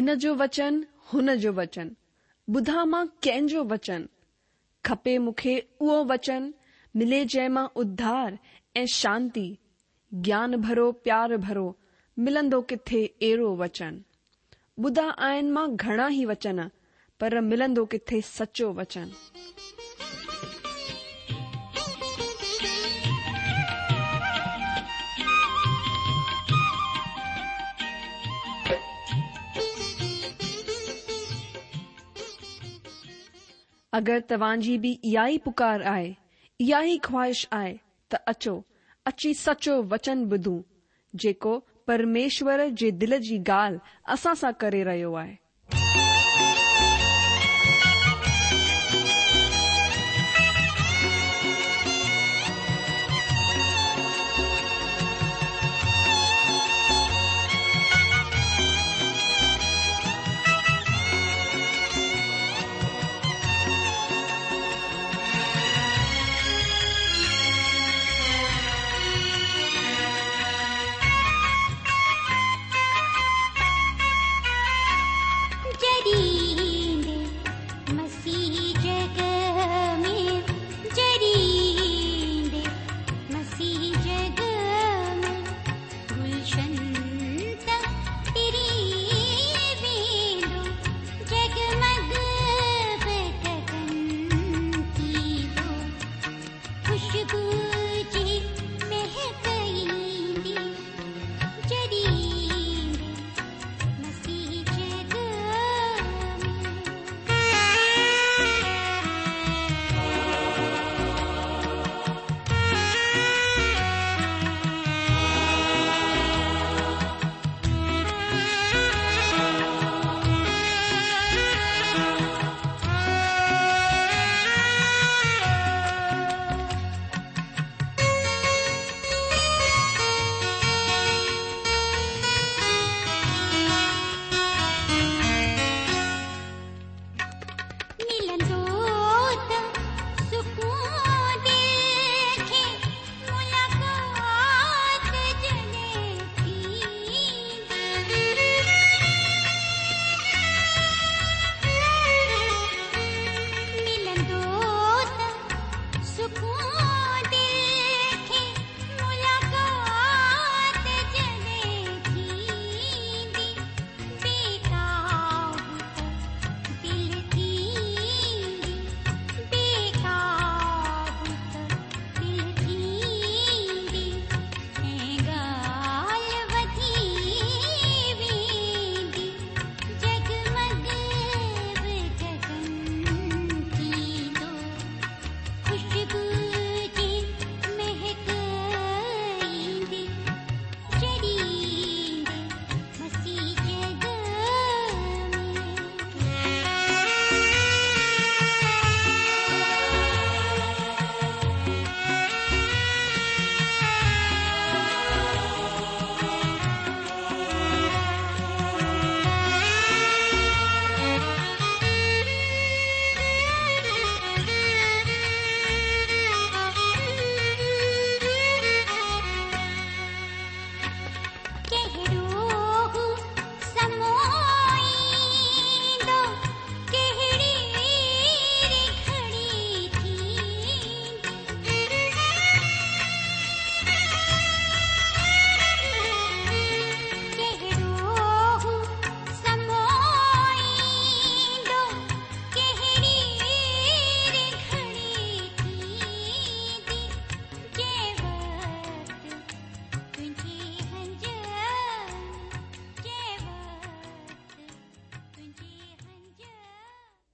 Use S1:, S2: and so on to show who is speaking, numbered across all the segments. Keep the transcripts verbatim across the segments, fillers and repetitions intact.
S1: هن جو وچن، هن جو وچن، ٻڌان مان ڪنهن جو وچن؟ کپي مون کي اهو وچن، ملي جنهن مان اڌار ۽ شانتي، گيان ڀرو پيار ڀرو، ملندو ڪٿي اهڙو وچن؟ ٻڌا آهن مان گهڻا ئي وچن، پر ملندو ڪٿي سچو وچن؟ اگر توهان جي به اها ئي پڪار آهي، اها ئي خواهش آهي ته اچو، اچي سچو وچن ٻڌون، جيڪو پرميشور جي دل جي ڳالهه اسان سان ڪري رهيو آهي.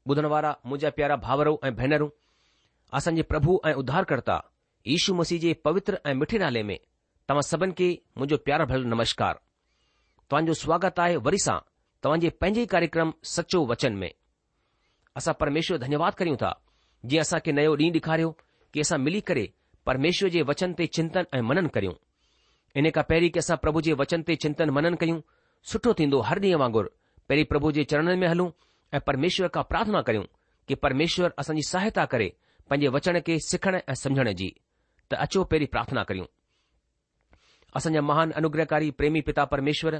S2: ٻڌڻ وارا منهنجا پيارا ڀائرو ۽ ڀينرون، اسان جي پرڀو ۽ اڌارڪرتا يشو مسيح جي پوتر ۽ مٺي نالي ۾ توهان سڀن کي منهنجو پيار ڀريل نمشڪار. توهان جو سواگت آهي وري سان توهان جي پنهنجي ئي ڪاريڪرم سچو وچن ۾. اسان پرميشور جو ڌنيواد ڪريون ٿا جنهن اسان کي نيو ڏينهن ڏيکاريو ڪي اسان ملي ڪري پرميشور جي وچن تي چنتن ۽ منن ڪريون. انهي کان پهرين ڪي اسان پرڀو جي وچن تي چنتن منن ڪيون، سٺو ٿيندو هر ڏينهن وانگر پهرين پرڀو جي چرڻن ۾ هلون ۽ پرميشور کان پرارٿنا ڪريون ڪي پرميشور اسان جي سهائتا ڪري پنهنجي وچن کي سکڻ ۽ سمجهڻ جي. ته اچو پهرين پرارٿنا ڪريون. اسان جا مهان انوگرهڪاري پريمي پتا پرميشور،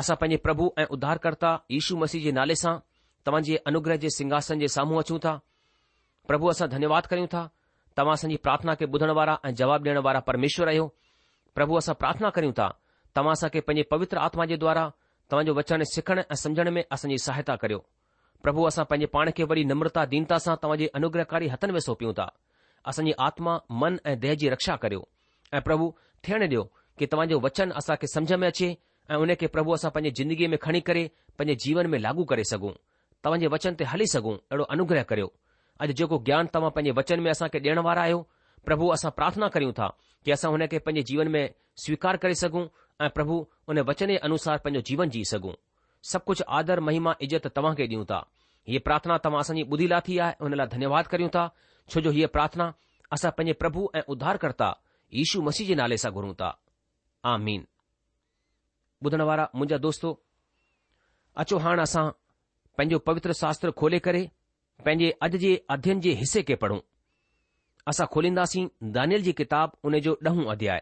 S2: اسان پنهنجي پرڀو ۽ اڌارڪرتا يشو مسيح جي نالي سان توهان جي انوگره جي سنگهاسن جي سامهون اچون ٿا. پرڀو اسان ڌنيواد ڪريون ٿا، توهان اسان جي پرارٿنا کي ٻڌڻ وارا ۽ جواب ڏيڻ وارا پرميشور آهيو. پرڀو اسان پرارٿنا ڪريون ٿا، توهان اسان کي پنهنجي پوتر آتما جي دوارا توهان جو وچن سکڻ ۽ سمجهڻ ۾ اسان جي سهائتا ڪريو. پرڀو اسان پنهنجي پاڻ کي وڏي نمرتا دينتا سان توهان جي انوگرهڪاري هٿن ۾ سونپيون ٿا. اسان جي آتما، من ۽ ديهه جي رڪشا ڪريو. ۽ پرڀو ٿيڻ ڏيو ڪي توهان جو وچن اسان کي سمجهه ۾ اچي ۽ ان کي پرڀو اسان پنهنجي زندگيء ۾ کڻي ڪري پنهنجي جيون ۾ لاڳو ڪري سگهون. توهان جي وچن تي هلي سگهون اهڙو انوگرهه ڪريو. اڄ جيڪو گيان توهان پنهنجي وچن ۾ اسان کي ڏيڻ وارا آهيو، پرڀو اسان پرارٿنا ڪريون ٿا ڪي اسان هن کي پنهنجي جيون ۾ سويڪار ڪري سگهون ۽ پرڀو ان وچن جي انوسار پنهنجو جيون جي سگهون. سڀ ڪجهه آدر، مهما، عزت توهان کي ڏيون ٿا. هيء پرارٿنا توهان اسان جي ٻڌي لاٿي آهي ان لاء ڌنيواد ڪريون ٿا، ڇو جو هيء پرارٿنا اسان پنهنجي پرڀو ۽ اڌارڪرتا يشو مسيح جي نالي سان گهرون ٿا. آمين. ٻڌڻ وارا منهنجا دوستو، اچو هاڻ اسان پنهنجو پوتر شاستر کولي ڪري پنهنجي اڄ جي اڌين جي حصي کي پڙهون. اسان کولينداسين دانيل جي ڪتاب ان جو ڏهون اڌياء.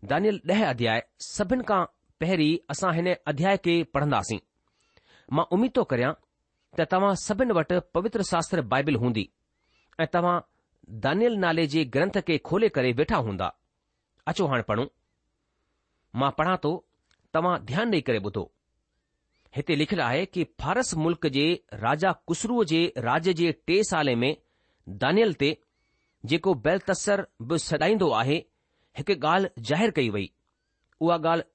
S2: دانيل ڏهه اڌياء سڀن کان پهرين اسان هن اڌياء کي پڙهنداسين. مان اميد ٿو ڪريان ته توهان سڀن وٽ پوتر شاستر بائبل هوندي ۽ توهان دانيل نالي جي گرنٿ کي کولي ڪري ويٺا هوندا. اچو هاڻ پڙهون. مان پڙهان ٿو، توهان ڌيان ڏيئي ڪري ٻڌو. هتي لکيل آهي ڪي فارس ملڪ جي راجا ڪسروء جي راڄ جي ٽي سالي ۾ دانيل تي، جيڪو بيلتسر به سڏائيندو آهي، هڪ ڳالهه ظاهر ڪئي وئي. اها ڳالهه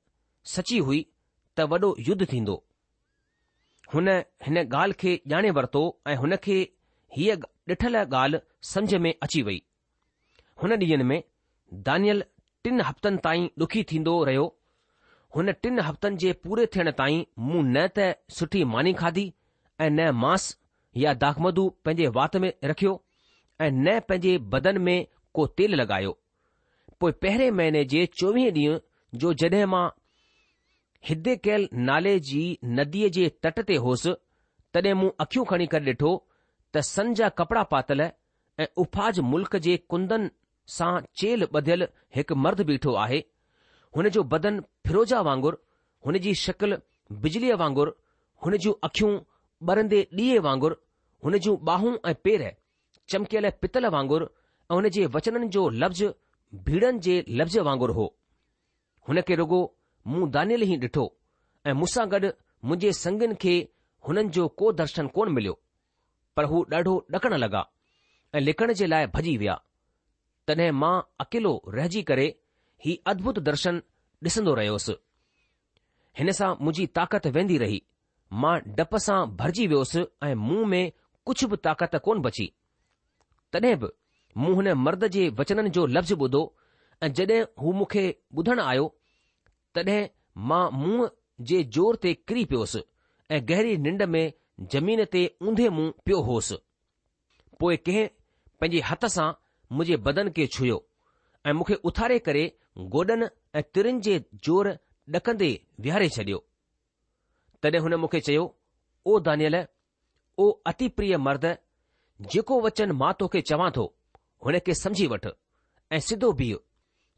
S2: سچي هئي ته وڏو يڌ ٿيندو. هن هن ڳالهه کي ڄاڻي ورتو ۽ هن کي هيء ڏٺل ڳالهه سمجهه ۾ اچي وئي. هن ڏينهن ۾ دانيل ٽن هفتن تائين ڏکي ٿيندو رهيو. هن ٽن هفتن جي پوري ٿيڻ تائين مون نه ته سٺي ماني کاڌي ۽ نه مانس يا داکمڌو پنهنجي وات ۾ رکيو ۽ نه پنهنجي بدن ۾ ڪو تيل لڳايو. پوء پهرين مهيني جي چوويهين ڏينهن جو جڏهن مان هديڪيل نالي جي نديء جي تٽ تي هوس، تڏهن مون اکيون کڻي ڪري ڏٺو ته سن جا ڪپڙا پاتل ۽ اوفاز ملڪ جي ڪندن سان چيلهه ٻڌيل هڪ مرد بيٺو آهي. هن جو بدن فيروزا وانگر، هن جي شڪل بجليء وانگر، هن جون اکيون ٻرندي ڏيئي وانگر، هن جون ٻانهون ۽ پير چمڪيل پتل وانگر ۽ هن جي وچنن جو لفظ ڀيڙن جي لفظ وانگر هو. هن کي رڳو مون دانيل ئي ڏٺو ۽ مون سان گڏ منهنجي سنگين کي هنن جو ڪو درشن ڪونه مليو، پر هو ڏاڍو ڏڪڻ لڳا ۽ لڪڻ جي لاء ڀڄي ويا. تڏهن مان اڪيلو رهجي ڪري هي ادڀت درشن ڏسندو رهيوس. هن سان منهنجي طاقت ويندي رهي. مان ڊپ سان ڀرجي ويوس ۽ مون ۾ ڪجهه به طاقت ڪونه بچي. تڏهن به مون هن مرد جي وچنن جو لفظ ٻڌو ۽ جڏهن هو مون کي ٻڌڻ آيو، تڏهن مان منهن جي زور تي ڪري پيوس ۽ گهري ننڊ ۾ زمين تي اونڌي منهن پيو هوس. پوء ڪنهن پنهنجي هٿ سان منهنجي بدن کي ڇهيو ۽ مون کي اٿاري ڪري گوڏن ۽ ترين جي زور ڏڪندي ويهاري ڇڏيو. تڏهن هن مون کي چيو، او دانيل، او اتي پريه مرد، جيڪو وچن مان توکي چوان ٿو، هن کي سمجهي وٺ ۽ سڌو بيهه،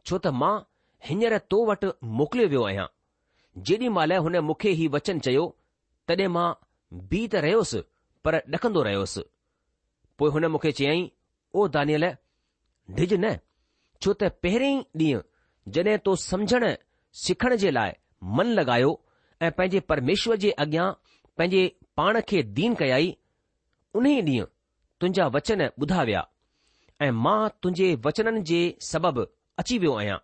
S2: ڇو ته مان هينئر تو وٽ موڪليو ويو آهيان. جيڏي مهل هن مون کي هي وچن چيو، تڏهن مان بيهي ته رهيس، پر ڏڪندو رهيس. پوء هن مون کي چيائين، او دانيل، ڊڄ نه، ڇو ته پهرين ئي ڏينهن جڏهن تو سمجهڻ سکڻ جي لاء من لڳايو ۽ پنهنجي پرميشور جي اڳيان پنهنجي پاڻ کي دين ڪيائي، انهيء ڏينهن تنهنجا وچن ٻڌا ويا ۽ مان تنهنجي وچنن جي سبب اچي ويو آهيان.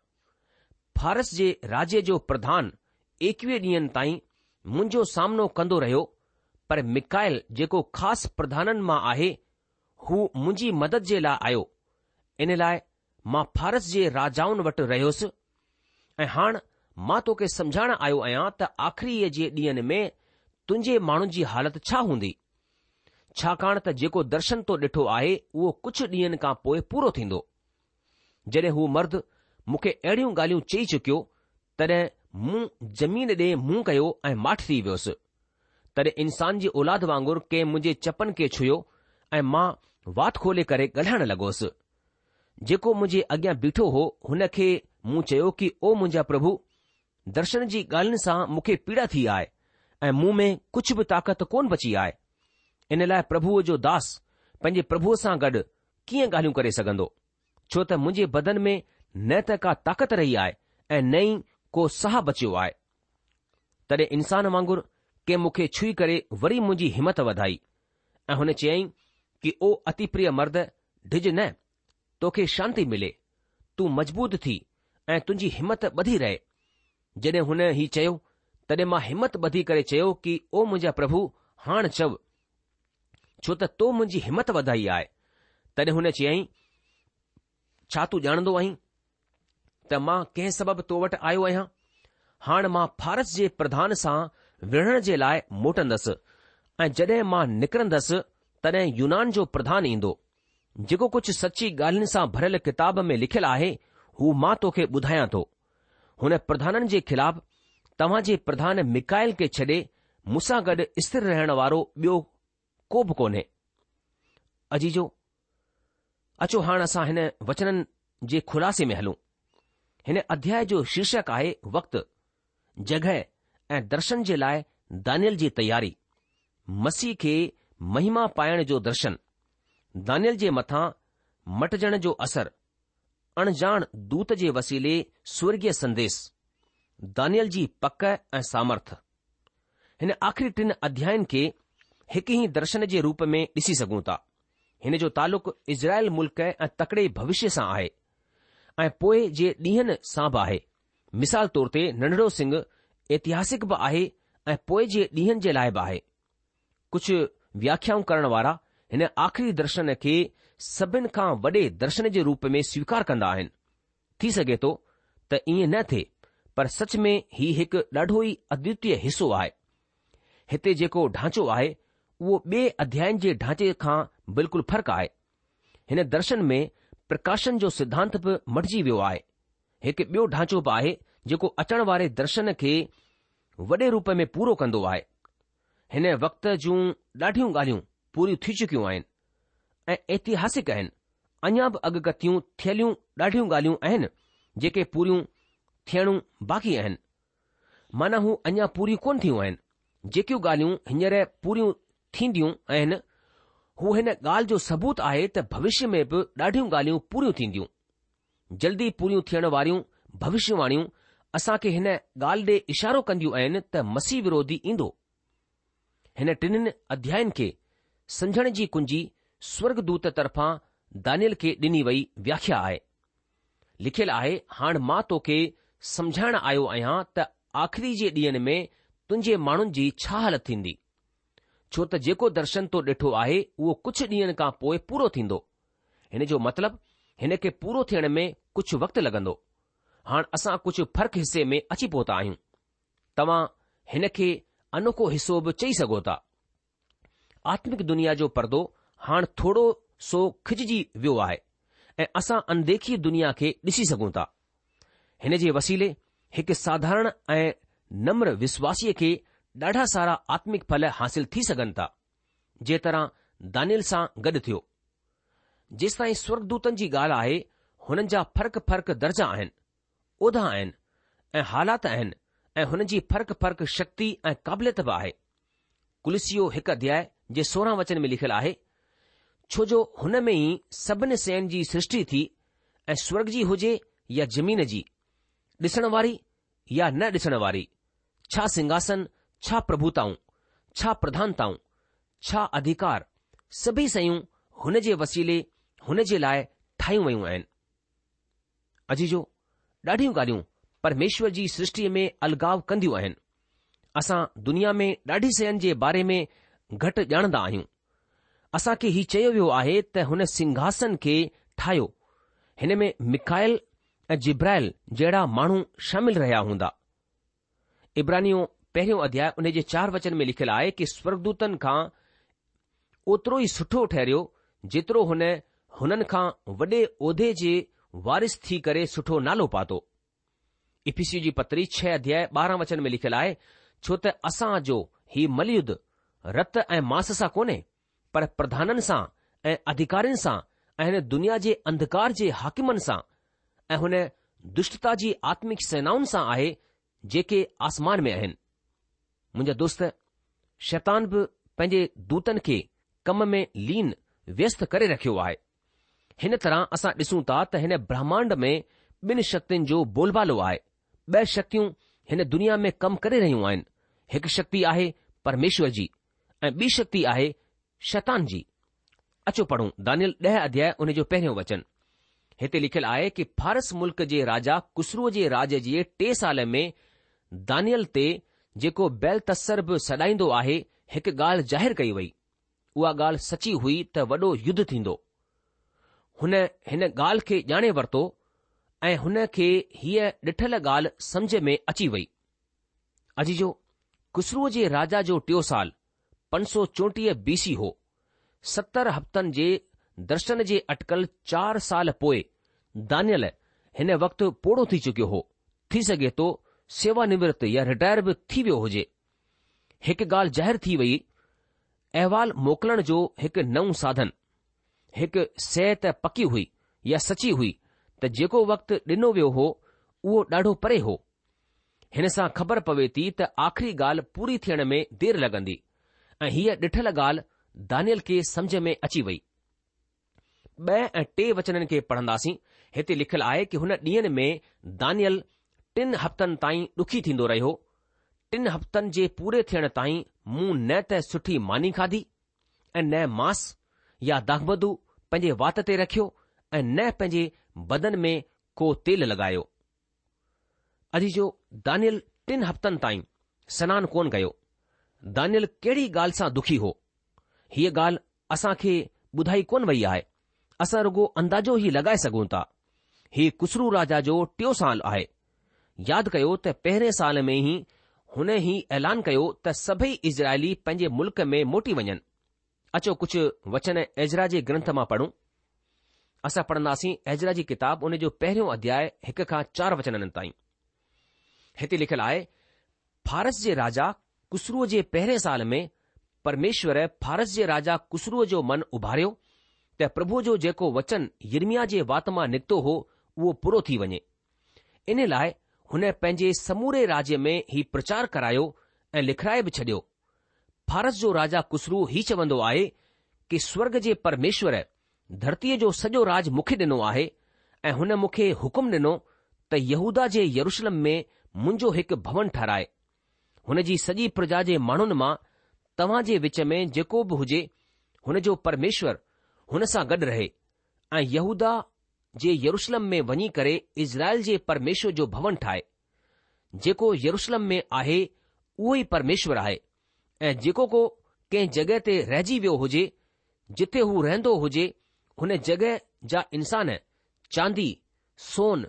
S2: فارس جي راجيه جو پرڌان ايڪويهه ڏينهن تائين منهنجو سامنو ڪندو رهيو، پر ميڪائيل جيڪو خاص پرڌانن مان آهي، هو منهنجي مدد جي لاء آيو، ان لاء مان فارس جي راجائن وٽ رهيس ۽ هاڻ مان توکي سمجهائڻ آيو آهيان ته آخريء جي ڏينهن ۾ تنهنجي ماڻهن جي حالت ڇا هوندي، ڇاڪاڻ ته جيڪو درشن تو ڏٺو آهي اهو ڪجهه ڏينهن کان پوء پورو ٿيندو. جڏهن هو مرد مون کي اهڙيون ڳالهيون چئي چڪيو، تڏهن مون زمين ڏي منهن ڪيو ۽ ماٺ ٿي ويس. تڏهن انسان جي اولاد وانگر ڪنهن منهنجي چپن کي ڇهيو ۽ مان وات کولي ڪري ڳالهائڻ لڳوس. جيڪو منهنجي اڳيان بيٺو هو، هن کي مون چيو ڪي او منهنجا پرڀو، درشن جي ڳالهين سان مون کي پيڙا ٿي آهي ۽ مون ۾ ڪجهه به طاقت ڪونه بچي آهي. ان لاء پرڀوء جو داس پنهنجي پرڀوء سان گڏ ڪيئن ڳالهيون ڪري سگهندو؟ ڇو ته منهنجي بدن ۾ نه ته ڪا طاقت رهي آهي ۽ نه ئي ڪو ساهه بچيو آهي. تڏهن انسان وانگر ڪنهن مون کي ڇهي ڪري وري منهنجي همت وڌائي ۽ هن چيائين ڪي او اتي پريه مرد ڊڄ نه، توکي شانتي ملي، تون مضبوط ٿي ۽ تنهنجي همت ٻڌي رهي. جڏهن هن هي چيو، تڏهن مان همت ٻڌي ڪري چيو ڪي او منهنجا پرڀو هاڻ چئو، ڇو ته تو منهنجي همت وڌائي آهي. تڏهن هن چيائين، ڇا تون ڄاڻندو آهين ته مان ڪنهن سبب تو وٽ آيو آهيان؟ هاڻ مان فارس جي پرڌان سان وڙهڻ جي لاء موٽندس ۽ جڏهن مان نڪرندس تڏهن يونان جو پرڌان ايندو. جيڪو ڪجهه سچي ڳالهين سان ڀريل ڪتاب ۾ لکيل آهي، هو مان توکي ٻڌايان ٿو. هن پرڌانن جي خلاف توهان جي پرڌان ميڪائيل کي ڇڏي مون سان گڏ اسٿر رهڻ وارو ٻيو ڪو به ڪونهي. عزيزو، اچو هاڻ اسان هن وچنن جي خلاصي ۾ هلون. هن اڌياء جو شيرشڪ آهي وقت، جڳهه ۽ درشن جي لاء دانيل جي تياري، مسيح کي مهما پائڻ جو درشن، دانيل جي مٿان مٽجڻ جو اثر، اڻڄاڻ دوت جي وسيلي سورڳيه سنديس، دانيل جي پڪ ۽ سامرٿ. هن آخري ٽن اڌيائن کي هڪ ئي درشن جي روپ ۾ ڏسي سگهون ٿا. هن جو تعلق اسرائيل ملڪ ۽ تڪڙي ڀوشيه سان آهي ۽ پوء جي ڏينهن سان به آهي. مثال طور تي ننڍڙو سڱ اتهاسڪ به آهي ۽ پوء جي ڏينهن جي لاء به آهي. ڪجهه وياکيائون ڪرڻ وارا هن آخري درشن کي سڀن کان وڏي درشن جي روپ ۾ سويڪار ڪندا آهن. ٿي سگهي ٿو ته ائين نه ٿئي پر سچ ۾ هي هڪ ڏاڍو ئي ادوتيه حصو آهي. هتي جيڪو ڍانچو آهي اهو ٻئي اڌيائن جي ڍانچي کان بلڪل فرق آهي. هن درشن ۾ پرڪاشن جو سڌانت به مٽجي ويو آهي. هڪ ٻيو ڍانچو به آهي جيڪو اچڻ واري درشن کي وڏي روپ ۾ پورو ڪندو آهي. هن وقت جون ڏاڍيون ڳالهيون پوريون ٿي چڪيون آهن ۽ اتهاسڪ آهن. اڃا به اڳڪٿيون ٿيليون ڏاڍيون ڳالهيون آهن جيڪي پوريون ٿيڻون باقي آهن. معنيٰ هو اڃا پوريون ڪونه ٿيون آهن. جيڪيون ڳالهيون هينئر پوريون ٿينديون آهن، هو هن ڳالهه جو ثبوت آهي ته ڀوشيه ۾ به ڏاڍيون ڳالهيون پوريون ٿينديون. جلدي پوريون ٿيڻ واريون ڀوشيواڻيون اسان کي هن ڳالهه ڏي اشارو ڪنديون آهن ته مسيح وروڌي ايندو. هن ٽنهن اڌيائن کي سمجهڻ جي ڪنجي سورڳدوت طرفان دانيل کي ڏني وئي وياکيا آهي. لکيل آهي، هاڻ مان توکي سمجهائڻ آيو آهيان ته آخري جي ڏينهن ۾ تنهنجي ماڻهن جي ڇا حالت ٿيندي. ڇو ته جيڪو درشن تو ڏٺو آهي اهو ڪجهه ڏينهن کان پوء پورو ٿيندو. هن جو مطلب هن کي پورو ٿيڻ ۾ ڪجهه وقت لڳندو. هاڻ اسان ڪجهه فرق حصي ۾ اچي پهتا آهيون. توهان هن کي انوکو حصو به چئي سگهو ٿا. آتمڪ دنيا جو پردو هاڻ ٿورو سو کڄجي ويو آهي ۽ اسان انديکي دنيا کي ڏسي سگهون ٿا. هن جي وسيلي هڪ ساڌارڻ ۽ نمر وشواسيء کي ڏاڍا سارا آتمڪ ڦل حاصل ٿي سگهن ٿا، جنهن طرح دانيل سان گڏ ٿيو. جيستائين سورڳدوتن جي ڳالهه آهي، هنن جا فرق فرق درجا آهن، عهدا آهن ۽ حالات آهن ۽ هنن جي فرق فرق شڪتي ۽ قابليت به آهي. ڪلسيو هڪ اڌياء جي سورهن وچن ۾ لکيل آهي، ڇو جو هن ۾ ئي سڀني شين جي سرشٽي ٿي ۽ سورڳ جي هجي يا زمين جي، ڏسڻ واري يا نه ڏسڻ واري، ڇا سنگهاسن، ڇا پرڀوتائون، ڇا پرڌانتائون، ڇا اڌيڪار، سڀئي شيون هن جي وسيلي هن جي لاء ٺاهيون ويون آهن. عزيزو، ڏاڍيون ڳالهيون پرميشور جي سرشٽيء ۾ الڳاء ڪنديون آهن. اسان دنيا ۾ ڏاڍي شين جي باري ۾ گهٽ ڄاڻندا آهيون. اسان کي هي چيو ويو آهي ته هن سنگهاسن کي ٺاهيو. هن ۾ ميڪائيل ۽ جبرائيل جهڙا ماڻهو شامل رهيا هوندا. عبرانيون پهريون اڌياء ان جي چار وچن ۾ لکيل آهي ڪي سورڳدوتن کان اوترو ئي سٺو ٺهريو جيترو هن هنن کان وڏي عهدي جي وارث ٿي ڪري سٺو نالو پاتو. افسيو جي پتري ڇهه اڌياء ٻارهن وچن ۾ لکيل آهي ڇو ته اسان جو هي مليڌ رت ۽ ماس سان ڪونهي پر پرڌانن سان ۽ اڌيڪارين سان ۽ هن دنيا جي انڌڪار جي حاڪمن سان ۽ هن دشٽتا جي آتمڪ سينائن سان آهي جيڪي آسمان ۾ آهن. منهنجا دوست، شيطان به پنهنجي دوتن کي ڪم ۾ لين ويست ڪري رکيو آهي. هن طرح اسان ڏسون ٿا ته هن برهمانڊ ۾ ٻن شڪتين جو بولبالو آهي. ٻه شڪتيون هن دنيا ۾ ڪم ڪري رهيون آهن. هڪ شڪتي آهي پرميشور جي ۽ ٻي شڪتي آهي شيطان جي. اچو پڙهون دانيل ڏهه اڌياء ان جو پهريون وچن. هتي لکيل آهي ڪي فارس ملڪ جي راجا ڪسرو جي راڄ جي ٽي سال ۾ دانيل تي جيڪو بيلتسر به سڏائيندو آهي هڪ ڳالهه ظاهر ڪئي وئي. اها ڳالهه سچي هئي ته وڏو يڌ ٿيندو. هن هن ڳالهه کي ڄاڻي ورتو ۽ هن کي هيء ڏٺل ڳالهه سمجهه ۾ اچي وئي. عزيزو، ڪسرو جي راجا جو ٽيو سال پنج سؤ چوٽيهه بي سي هو. ستر هفتن جي درشن جي اٽڪل چار سال پوء دانيل هن وقت پوڙهو ٿي چڪيو هو. ٿي سگهي ٿو سيوا نورت يا رٽائر به ٿي ويو هجي. هڪ ڳالهه ظاهر ٿي وئي، احوال موڪلڻ جو هڪ نئون ساڌن. هڪ شيء ته پڪي هئي يا سچي هئي ته جيڪو وقت ڏنو ويو هو اهو ڏاڍو پري هو. هن سان خبر پوي ٿي ته آخري ڳالهه پوري ٿيڻ ۾ دير لڳندي ۽ هيء ڏٺل ڳالهه دانيل کي سمجهه ۾ اچي وئي. ٻه ۽ ٽي وچنن کي پڙهنداسين. هتي لکيل آهي ڪي هن ڏينهن ۾ دانيل ٽن هفتن تائين ڏکي ٿيندو رهيو. ٽن هفتن جي پوري ٿيڻ تائين مون نه ته سٺي ماني کاڌي ۽ نه ماس يا داکمڌو پنهنجي وات تي رکيو ۽ نه پنهنجي بدن ۾ ڪو تيل لڳايو. عزيزو، دانيل ٽن هفتن تائين سنان ڪونه ڪيو. دانيل ڪهڙي ڳالهه سان دکي هو؟ هيء ڳالهه اسان کي ٻڌائي ڪونه وئي آهي. اسان رڳو اندازو ئي لڳائي سگهون ٿا. هي ڪسرو راجا جو ٽيون سال آهي. ياد ڪيو ته پهرين سال ۾ ئي هن هي اعلان ڪيو ته سڀئي اسرائيلي پنهنجي ملڪ ۾ موٽي وڃن. اچو ڪجهه وچن ايزرا جي گرنٿ مان پڙهون. اسان پڙهنداسين ايزرا جي ڪتاب ان جو پهريون اڌياء هڪ کان چار وچنن تائين. هتي لکيل آهي، فارس جي راجا ڪسروء جي پهرين سال ۾ پرميشور فارس جي راجا ڪسروء جو من اڀاريو ته پرڀوء جو جيڪو وچن يرمياه جي وات مان نڪتو هو اهو پورو ٿي وڃي. ان لاء هن پنهنجي سموري راجيه ۾ هي پرچار ڪرايو ۽ لکرائي به ڇڏيو. فارس جو راجا ڪسرو هي چوندو آهي ڪي سورگ جي پرميشور ڌرتيء جو سڄو راج مون کي ڏنو آهي ۽ هن مون کي حڪم ڏنو ته يهوداه جي يروشلم ۾ منهنجو هڪ ڀون ٺهرائي. هن جي سڄي پرجا جي ماڻهن مان توهان جي وچ ۾ جيڪو به هجي هن جو پرميشور هن سان گڏ رهي ۽ يهوداه جي يروشلم ۾ وڃي ڪري اسرائيل جي پرميشور جو ڀون ٺاهي. جيڪو يروشلم ۾ آهي اهو ئي پرميشور آهي ۽ جيڪو ڪو ڪنهن جڳهه تي رهجي ويو هجي جتي هو رهندو هجي هن جڳهه جا انسان چاندي، سون،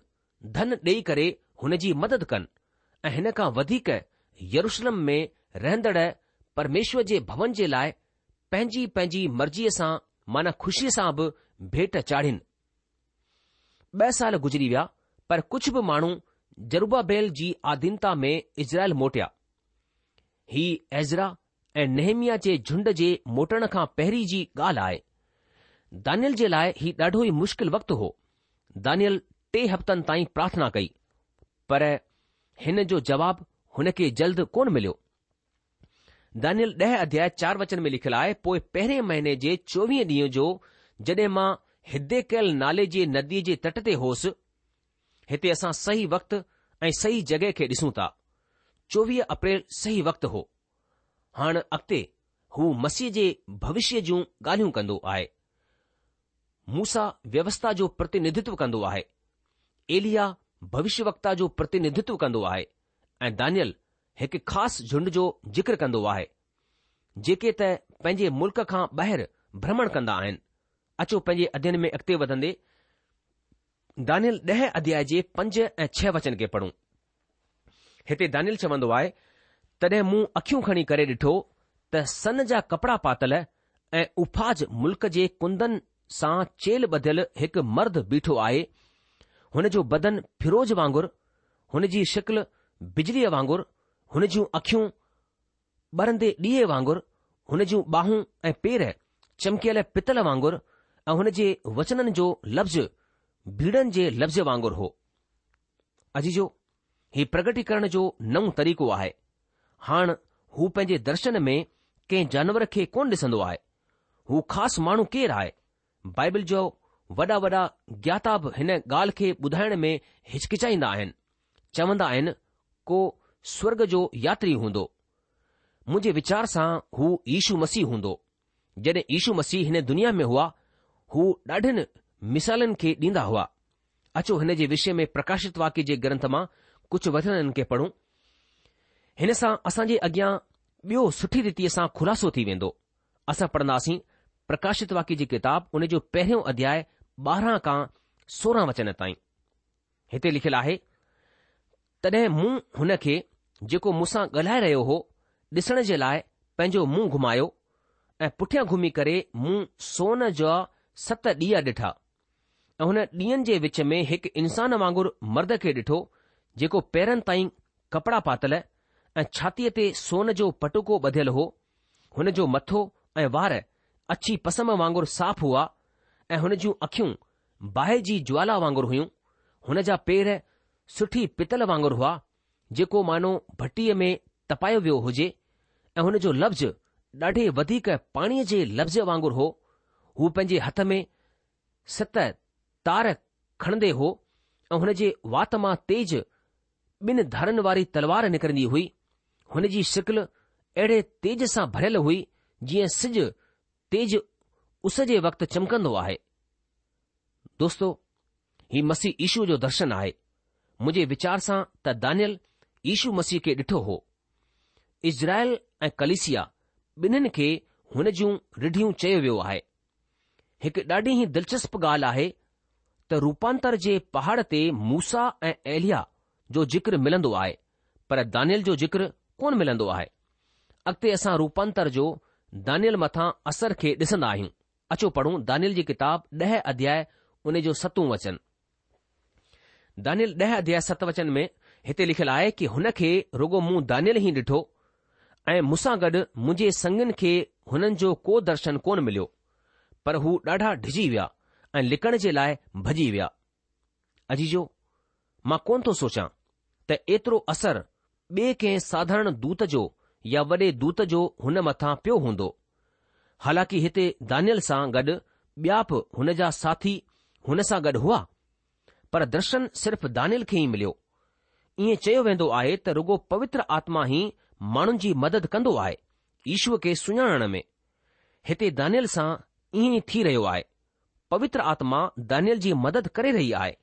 S2: ڌن ڏيئي ڪري هن جي مدد ڪن ۽ هن کان وڌيڪ يروشلم ۾ رهندڙ پرميشور جي ڀون جي لاء پنهنجي پنهنجي مرضيء سان معنيٰ خوشيء سان به ڀيٽ چاڙهين. ٻه سال گذري ويا پر ڪجهه به ماڻهو زروبابيل جي آڌينتا ۾ اسرائيل موٽيا. هي ايزرا ۽ نهيمياه جي جهنڊ جي موٽڻ کان پهرين جي ڳالهه آهي. دانيل جي لاء هي ڏاڍو ئي مشڪل وقت هو. دانيل ٽي هفتن تائين پرارٿنا ڪئي، پر هن جو جواب هن کي جلد ڪونه مليو. دانيل ڏهه اڌياء چار وچن ۾ لکيل آهي، پوء پهرين مهيني جي چوويهين ڏينهن جو جڏهن مان هديڪيل نالي جي نديء جي تٽ تي هوس، هتي اسان صحيح وقت ۽ صحيح جڳهه کي ڏسون ٿا. چوويهه اپريل صحيح وقت هو. هاڻ اڳتي هو مسيح جي ڀوشيه جون ڳالهيون ڪندو آهي. موسيٰ ويوسٿا جو پرتينڌتو ڪندو آهي. ايليا ڀوشيه وڪتا جو پرتينڌتو ڪندو آهي ۽ دانيل هڪ خاص جهنڊ جو ذڪر ڪندو آهي، جيڪي ته پنهنجي ملڪ کان ٻاهر ڀرمڻ ڪندا آهن. اچو پنهنجي اڌيين ۾ اڳتي وڌندي دانيل ڏهه اڌياء جي پنج ۽ ڇهه وچن کي پڙهون. هتي دانيل چوندو آهي، تڏهن مون اکيون کڻي ڪري ڏٺو ته سن جا ڪپڙا پاتل ۽ اوفاز ملڪ جي ڪندن سان چيلهه ٻڌل هڪ مرد بيٺو آهي، هن جو بدن فيروز وانگر، هن جي شڪل بجليء وانگر، هن جون اکيون ٻرندي ڏيئي وانگر، هن جون ٻانهون ۽ پير چمڪيل پتل وانگر ۽ هن جي وچنن جو لفظ ڀيڙن جي لفظ وانگر هو. عزيزو، هي پرگٽيڪرڻ جو نئون طريقو آهي. هاڻ هو پنهنجي درشن ۾ ڪنهن جانور کي ڪونه ڏسندو آهي. هو خاص ماڻهو ڪير آهي؟ بائبل جو وڏا وڏا گياتا به هن ڳالهه کي ٻڌائڻ ۾ هچڪچائيندا آهن. چوندا آهن ڪو سورڳ جو ياتري هوندو. منهنجي ويچار سان هو يشو مسيح هوندو. جڏهن يشو مسيح هن دنيا ۾ هئا، هو ڏاڍين مثالن کي ڏيندا هئا. اچو هن جي وشي ۾ پرڪاشت واڪيه جي گرنٿ مان ڪجهه وچنن کي پڙهون. هن سان اسان جي اڳيان ٻيو سٺي ريتيء سان خلاصو ٿي ويندو. اسان پڙهنداسين پرڪاشت واڪيه جي ڪتاب ان جو پهريون اڌياء ٻارهن کان سورهن وچن تائين. هتي لکيل آهي، تڏهن مون هن کي جيڪو مون سان ڳالهائي رهيو هو ڏسڻ جي لاء پنهنجو منهن گهمايو ۽ پٺيان گهمي ڪري مون سون جا ست ڏيئا ڏٺا ۽ هن ڏيئن جي وچ ۾ هڪ انسان وانگر مرد کي ڏٺو جيڪو پيرن تائين ڪپڙا پاتل ۽ ڇاتيء تي سون جو پٽڪو ٻڌيل هو. هن جو مٿو ۽ وار اڇي پسم وانگر صاف هئا ۽ هن جون اکيون باهه جي جوالا وانگر هيون. هن جا پير سٺي پتل وانگر هئا، جيڪو مانو ڀٽيء ۾ تپايو ويو هجي ۽ هن جو لفظ ڏاڍي وڌيڪ پاڻيء جي لفظ وانگر هو. هو پنهنجي هٿ ۾ ست تار کڻندي هو ۽ هن جي وات مان تيز ٻن ڌارن واري تلوار نڪرندي هئي. هن جي شڪل اهڙي تيج سان ڀريل هئي جيئن سج تيز اس جي وقت چمڪندو آهي. دوستو، هي مسيح يشو جو درشن آهي. منهنجي ويچار سان ته دانيل يشو مسيح کي ڏٺو هو. اسرائيل ۽ ڪليسيا ٻنهين کي هن جون رڍيون چيو ويو آهي. هڪ ڏاڍي ئي دلچسپ ڳالهه آهي ته روپانتر جي پهاڙ تي موسيٰ ۽ ايليا جو ذڪر ملندو آهي پر دانيل جو ذڪر ڪونه ملندو آهي. اڳتي اسان روپانتر جو دانيل مٿان اثر کي ڏسندا آهيون. اچو پڙهون دانيل جي ڪتاب ڏهه اڌياء ان جو ستون وچن. دانيل ڏهه اڌياء ست وچن ۾ هتي لکيل آهي ڪي هن کي رڳو مون دانيل ئي ڏٺو ۽ مون سان گڏ منهنجي سنگين کي هنن جو ڪو درشن ڪونه مليو، پر هو ڏاڍا ڊڄي ويا ۽ لڪڻ جي لاء ڀڄي ويا. عزيزو، مان ڪونه ٿو سوچان ته ايترو اثر ٻئي ڪنهن ساڌارڻ دوت جو يا وڏي دوت جو هن مٿان پيو هوندو. حالانڪه هتي دانيل سان گڏ ٻيا به هن جا ساٿي هن سان گڏ هئا، پر درشن صرف دانيل کي ئي مليو. ائين چيو ويندو آهي ته رڳو پوتر آتما ئي ماڻهن جي مدد ڪندو آهي يشوء کي سڃاڻڻ ۾. هتي دانيل سان ائين ئي ٿي رهيو آهي. پوتر آتما دانيل جي مدد ڪري رهي آهي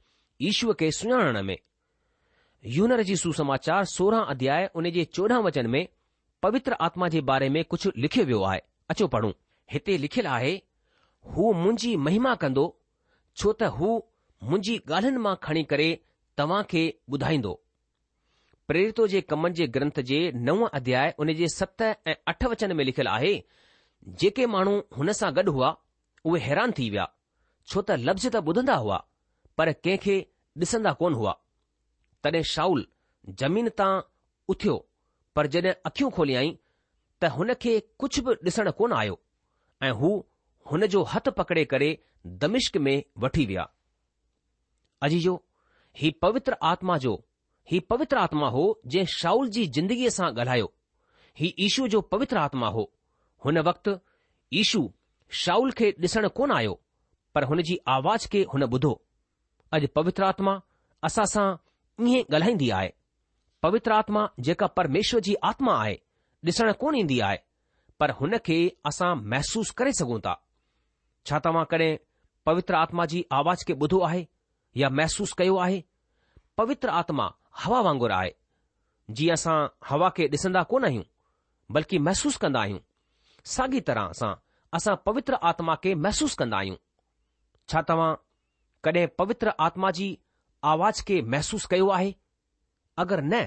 S2: يشوء کي سڃاڻڻ ۾. يوحنا رچت سوسماچار سورهن اڌياء ان جي چوڏهن وچن ۾ پوتر آتما جي باري ۾ ڪجهه لکيو ويو آهي. اچو پڙهون. هتي لکيل آهي، هو منهنجي مهما ڪندو، ڇو ته هو منهنجي ڳالهين مان کڻي ڪري توهان کي ٻڌائيندو. پريرتو جي ڪمن جي گرنٿ جي نو اڌياء ان جي ست ۽ اٺ وچن ۾ لکيل آهي، جيڪي ماڻهو هن سان گڏ هئا، اهي حيران ٿي ويا، ڇو ته لفظ ته ٻڌندا هئا، پر ڪنهن کي ڏسندا ڪونه هئا. تڏهن شائول زمين تان اٿيو، پر جڏهن اکيون کوليائين ته هن کي ڪجهه به ڏسڻ ڪونه آيو ۽ هو هن جو هٿ پڪڙي ڪري دمشق ۾ وٺي ويا. عزيزو، هي پوتر آتما جو هي پوتر آتما هو جنهن شائول جي زندگيء سان ڳالهايو. هي يشو جو پوتر آتما هو. هن وقت يشو شائول کي ڏسڻ ڪونه آيو، پر هن جي آواز کي هن ٻڌو. اڄ پوتر آتما اسان سان ائين ڳالهائيندي آهي. پوتر آتما جيڪا پرميشور جي آتما آهي، ڏسڻ ڪونه ايندي آهي، پر هن کي اسان محسوس ڪري سگهون ٿا. ڇا توهان ڪڏهن پوتر آتما جي آواز کي ٻڌو آهي يا محسوس ڪيو آهي؟ پوتر آتما هوا وانگر آهي. جيئن اسان هوا کي ڏسندا ڪونه آهيون، بلڪه محسوس ڪندا آهيون، ساڳي طرح سان اسان پوتر آتما کي محسوس ڪندا آهيون. ڇا توهان ڪڏهن پوتر آتما جي آواز کي محسوس ڪيو آهي؟ اگر نه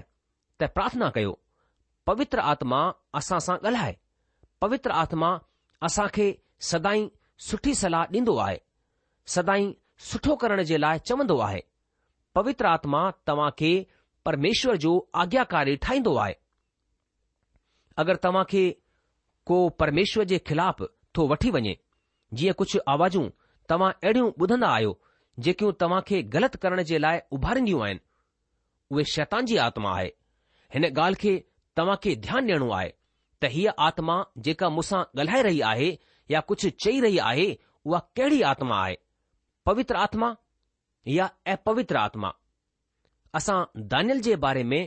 S2: ته پرارٿنا ڪيو، پوتر آتما اسان سان ڳالهائي. پوتر آتما اسان کي سدائين سٺي صلاح ڏيندو آهي. سدائين سٺو ڪرڻ جي لاء چوندو آهي. پوتر آتما توهان کي پرميشور جو آگياڪاري ٺاهيندو آهي. اگر توهان کي ڪو پرميشور جي خلاف ٿو وٺي وڃي، جيئن ڪجهه آوازون توهان اهڙيون ٻڌندا آهيو جيڪيون توهان کي غلط ڪرڻ جي لاء اڀارينديون آهن، اهي شيطان جي آتما آهي. هن ڳالهه کي توهان کي ڌيان ڏيڻو آهي ته هيء آتما جيڪا مون سان ڳالهائي رهي آهي يا ڪجهه چئي رهي آهي، اها ڪهڙي آتما آهي؟ پوتر آتما يا اپوتر آتما؟ اسان دانيل جي باري ۾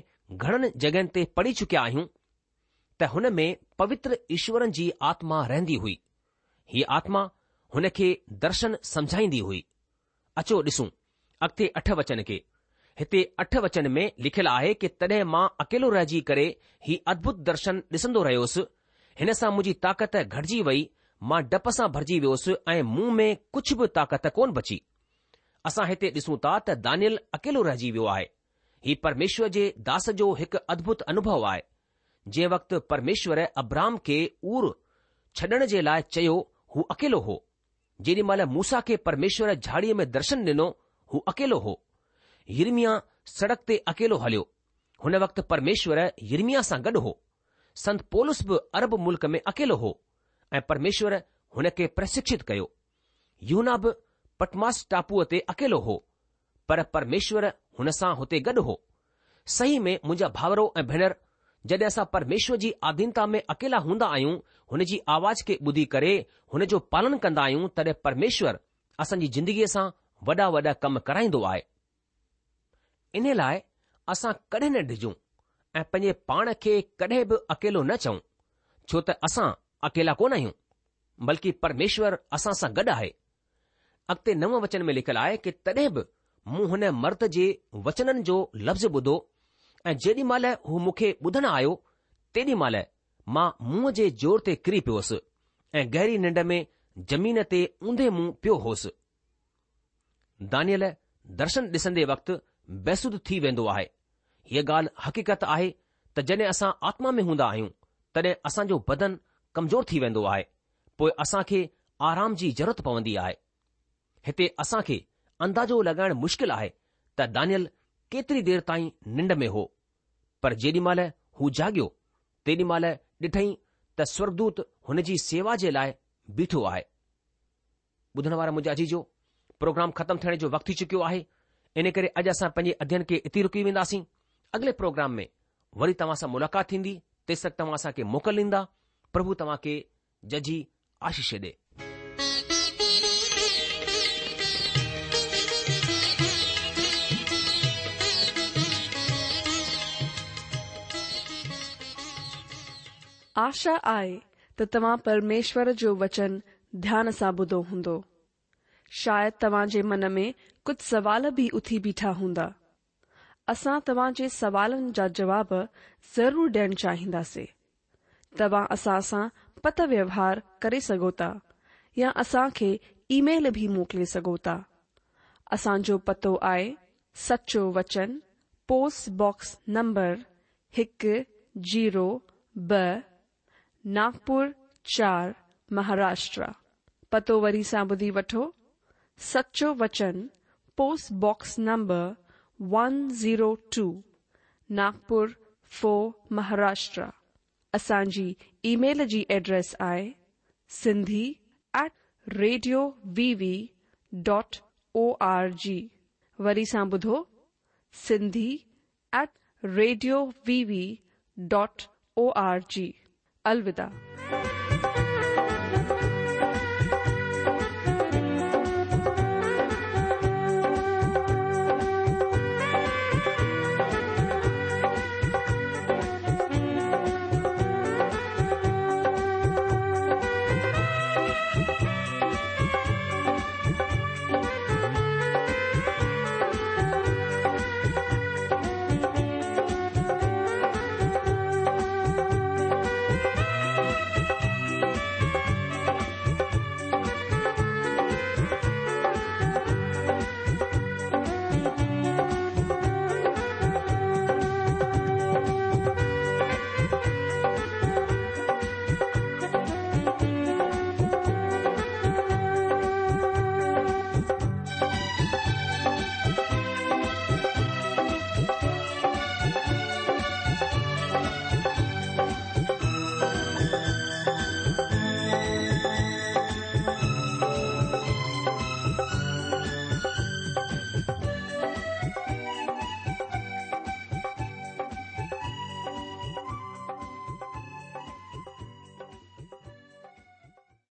S2: گهڻن جڳهين تي پڙهي چڪيا آهيون ته هن ۾ پوتر ايشورن جي آتما رهندي هئي. هيء آتما هن کي درشن سمجهائيندي هئي. اچو ڏسون اڳتي اٺ وچن کي. هتي اٺ وچن ۾ لکيل آهي ڪه تڏهن مان اڪيلو رهجي ڪري هي ادڀت درشن ڏسندو رهيوس. هن سان منهنجي طاقت گهٽجي وئي، مان ڊپ سان ڀرجي ويوس ۽ مون ۾ ڪجهه به طاقت ڪونه بچي. اسان هتي ڏسون ٿا ته دانيل اڪيلو رهجي ويو آهي. هي پرميشور جي داس جو هڪ ادڀت انوڀو آهي. جنهن وقت پرميشور ابرام کي اور ڇڏڻ جي لاء چيو، هو اڪيلو هو. جيڏي مهل موسيٰ کي پرميشور جهاڙيء ۾ درشن ڏنو، هو اڪيلو هو. يرمياه سڙڪ تي اڪيلو هليو. هن وقت پرميشور يرمياه سان گڏ هو. سنت پولس به عرب ملڪ ۾ اڪيلو هو ۽ پرميشور هن کي پرشڪشت ڪيو. يوحنا به پٽماس ٽاپوء تي اڪيلو هو، پر پرميشور هن سان هتي گڏ هو. صحيح ۾ منهنجا ڀائرو ۽ ڀينر، جڏهن اسان پرميشور جي آڌينتا ۾ اڪيلا هوندا آهيون، هن جي آواز کي ٻڌي ڪري هن جو پالن ڪندا آهيون، تڏهن پرميشور اسان جي زندگيء سان وڏا وڏا ڪم ڪرائيندو آهي. ان لاء اسان ڪڏهن نه ڊڄون ۽ پنهنجي پاڻ کي ڪڏهن به اڪيلو نه چئون، ڇو ته اسان اڪيلا ڪونه آهيون، بلڪه پرميشور اسان سان گڏ آهي. اڳتي نو وچن ۾ لکيل آهي ڪه تڏهن به مون هن مرد جي وچنن جو لفظ ٻڌو ۽ جيڏي مهل هو مون کي ٻڌڻ آيو، تيڏي مهل مان منهن جي زور تي ڪري پيوس ۽ گهري ننڊ ۾ زمين تي اونڌي منهن پيو هوس. دانيل درشن ڏسندي وقت بيسڌ ٿي ويندو آهي. هيء ڳالهه حقيقت آهي ته جڏهن اسان آتما ۾ هوندا آهيون، تڏهن اسان جو بدن ڪمزور ٿي ويندو آهي، پوء اسان کي آرام جي ضرورت پوندي آهي. هتي اسان کي اندازو لڳائڻ مشڪل آهي ته دانيل ڪيتري دير تائين ننڊ ۾ هو، پر جيڏي مهل هو جاڳيو، تيڏي مهل ڏٺئين ته سورڳدوت هن جي سيوا جي لاء بيٺو آهي. ٻڌڻ وارا منهنجا عزيزو، پروگرام ختم ٿيڻ جو وقت ٿي چڪيو آهي، ان ڪري اڄ اسان پنهنجي اڌين کي اتي رڪي وينداسين. اڳلي پروگرام ۾ وري توهان سان ملاقات ٿيندي، تيس تڪ توهان اسان کي موڪل ڏيندا. پرڀو توهان کي ججهي آشيش ڏي.
S1: آشا آهي ته توهان پرميشور جو وچن ڌيان سان ٻڌو هوندو. شايد توهان جي من ۾ ڪجهه سوال به اٿي بيٺا هوندا. اسان توهان جي سوالن جا جواب ضرور ڏيڻ چاهينداسين. توهان اسان سان پتر ويوهار ڪري سگهو ٿا يا اسان کي اي ميل به موڪلي سگهو ٿا. اسان جو پتو آهي سچو وچن، پوسٽ باڪس نمبر هڪ زيرو ٻه، ناگپور چار، مهاراشٽر. پتو وري سان ٻڌي وٺو، سچو وچن، post box number one zero two, Nagpur four, Maharashtra. اسان جي اي ميل جي ايڊريس آهي Sindhi at radio V V dot O R G. وري سان ٻڌو، Sindhi at radio V V dot O R G. الوداع.